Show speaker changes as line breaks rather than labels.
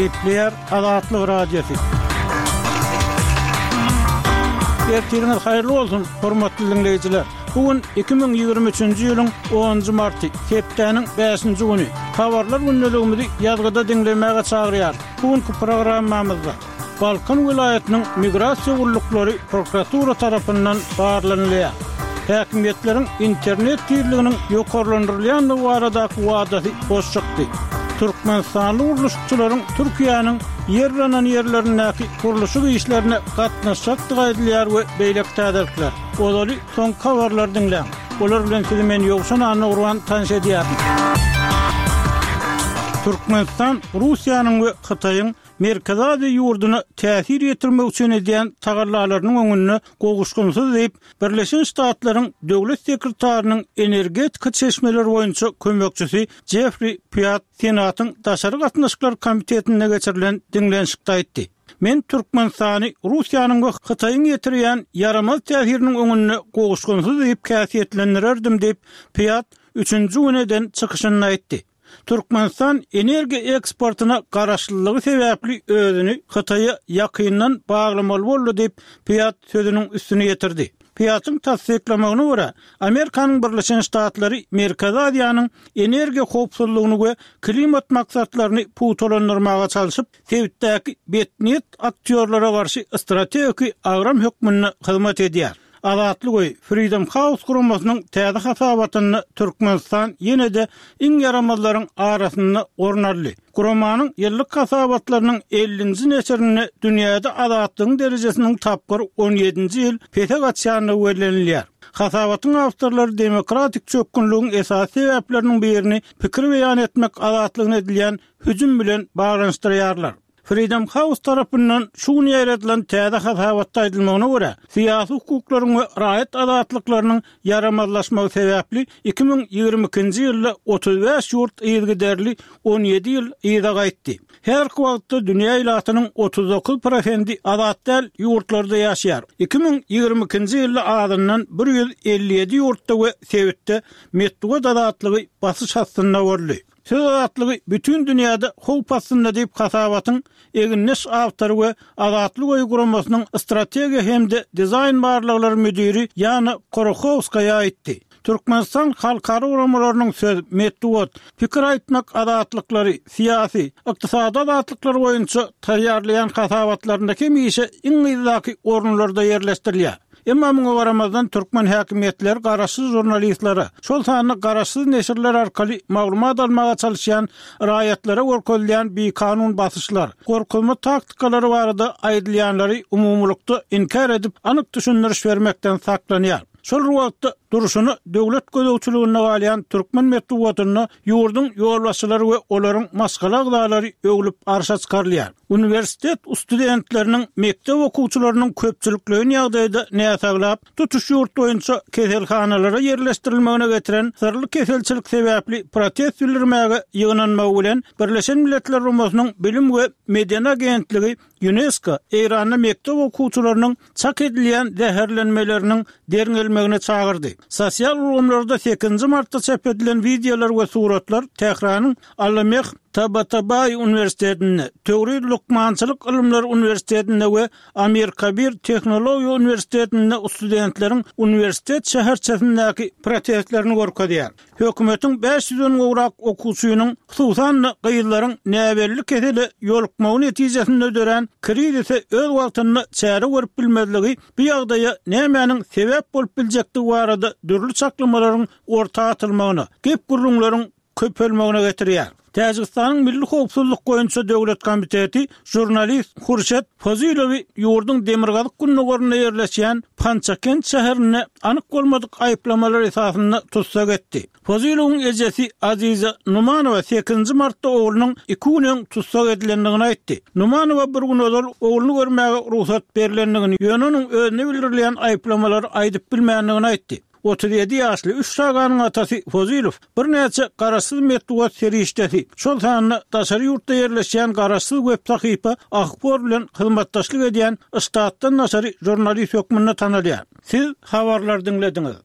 Gepleýär Azatlyk Radiosy. Ertiriňiz haýyrly bolsun, hormatly diňleýjiler! Bu gün 2023-nji ýylyň onunjy marty, hepdäniň bäşinji güni. Habarlar gündeligimizi ýazgyda diňlemäge çagyrýarys. Bu günki programmamyzda Balkan welaýatynyň migrasiýa gulluklary prokuratura tarapyndan barlanylýar. Häkimiýetleriň internet tizliginiň ýokarlandyrylýandygy baradaky wadasy boş çykdy. Türkmenistanly gurluşykçylaryň Türkiýäniň ýer yranan ýerlerindäki gurluşyk işlerine gatnaşjakdygy aýdylýar we beýleki täzelikler. Ozaly soňky habarlary diňläň. Olar bilen sizi men Ýowşan Annagurban tanyş edýärin. Türkmenistan Russiýanyň we Hytaýyň Merkezi Aziýa ýurduna täsir ýetirmek üçin edýän tagallalarynyň öňünde gowuşgynsyz diýip, Birleşen Ştatlaryň Döwlet sekretarynyň energetika çeşmeleri boýunça kömekçisi Jeffri Pýat Senatyň Daşary gatnaşyklar komitetinde geçirilen diňlenişikde aýtdy. Men Türkmenistany Russiýanyň we Hytaýyň ýetirýän ýaramaz täsiriniň öňünde gowuşgynsyz diýip häsiýetlendirerdim diýip, Pýat üçünji gün eden çykyşynda aýtdy. Türkmenistan energiýa eksportyna garaşlylygy sebäpli özüni Hytaýa ýakyndan baglamaly boldy diýip, Pýat sözüniň üstüni ýetirdi. Pýatyň tassyklamagyna görä, Amerikanyň Birleşen Ştatlary Merkezi Aziýanyň energiýa howpsuzlygyny we klimat maksatlaryny pugtalandyrmaga çalşyp, sebitdäki betniýet aktýorlara garşy strategiki agram hökmünde hyzmat edýär. Azatlyk öýi, Freedom House guramasynyň täze hasabatynda Türkmenistan ýene-de iň ýaramazlaryň arasynda orun aldy. Guramanyň ýyllyk hasabatlarynyň ellinji neşirinde dünýäde azatlygyň derejesiniň tapgyr on ýedinji ýyl pese gaçýandygy bellenilýär. Hasabatyň awtorlary demokratik çökgünligiň esasy sebäpleriniň birini pikir beýan etmek azatlygyna edilýän hüjüm bilen baglanyşdyrýarlar. Freedom House tarapyndan şu gün ýaýradylan täze hasabatda aýdylmagyna görä, syýasy hukuklaryň we raýat azatlyklarynyň ýaramazlaşmagy sebäpli 2022-nji ýylda 35 ýurt yzygiderli 17 ýyl yza gaýtdy. Häzirki wagtda dünýä ilatynyň 39 prosendi azat däl ýurtlarda ýaşaýar. 2022-nji ýylda azyndan 157 ýurtda we sebitde metbugat azatlygy basyş astynda boldy. Söz azatlygy bütin dünýäde howp astynda diýip hasabatyň egindeş awtory we Azatlyk öýi guramasynyň strategiýa hem-de dizaýn barlaglary müdiri Ýana Korohowskaýa aýtdy. Türkmenistan halkara guramalarynyň söz, metbugat, pikir aýtmak azatlyklary, syýasy, ykdysady azatlyklar boýunça taýýarlaýan hasabatlarynda hemişe iň yzdaky orunlarda ýerleşdirilýär. Emma muňa garamazdan, türkmen häkimiýetleri garaşsyz žurnalistlere, şol sanda garaşsyz neşirler arkaly maglumat almaga çalyşýan raýatlara görkezilýän bikanun basyşlar, gorkuzma taktikalary barada aýdylýanlary umumylykda inkär edip, anyk düşündiriş bermekden saklanýar. Şol bir wagtda, durşuna döwlet gözegçiliginde galýan türkmen metbugatynda ýurduň ýolbaşçylary we olaryň maşgala agzalary öwlüp arşa çykarylýar. Uniwersitet studentleriniň, mekdep okuwçylarynyň köpçülikleýin ýagdaýda näsaglap, tutuş ýurt boýunça keselhanalara ýerleşdirilmegine getiren syrly keselçilik sebäpli protest bildirmäge ýygnanmagy bilen, Birleşen Milletler Guramasynyň Bilim we medeni agentligi Ýunesko Eýranda mekdep okuwçylarynyň çak edilýän zäherlenmeleriniň derňelmegine çagyrdy. Sosial ulgamlarda sekizinji martda çap edilen wideolar we suratlar Tähranyň Allameh Tabatabai uniwersitetinde, Töwriz lukmançylyk ylymlary uniwersitetinde we Amirkabir tehnologiýa uniwersitetinde studentleriň uniwersitet şäherçesindäki protestlerini görkezýär. Hökümetiň bäş ýüzden gowrak okuwçynyň, hususan-da, gyzlaryň näbelli kesele ýolukmagy netijesinde dörän krizise öz wagtynda çäre görüp bilmezligi bu ýagdaýa nämäniň sebäp bolup biljekdigi barada dürli çaklamalaryň orta atylmagyna, gep-gürrüňleriň köpelmegine getirýär. Täjigistanyň Milli howpsuzlyk boýunça döwlet komiteti žurnalist Hurşet Fozilowy ýurduň demirgazyk-gündogarynda ýerleşýän Pançakent şäherinde anyk bolmadyk aýyplamalar esasynda tussag etdi. Fozilowyň ejesi Aziza Numanowa sekizinji martda oglunyň iki gün öň tussag edilendigini aýtdy. Numanowa bir gün ozal ogluny görmäge rugsat berlendigini, ýöne onuň özüne bildirilýän aýyplamalary aýdyp bilmändigini aýtdy. 37 ýaşly üç çaganyň atasy Fozilow birnäçe garaşsyz metbugat serişdesi, şol sanda daşary ýurtda ýerleşýän garaşsyz web sahypa Ahbor bilen hyzmatdaşlyk edýän ştatdan daşary žurnalist hökmünde tanalýar. Siz habarlary diňlediňiz.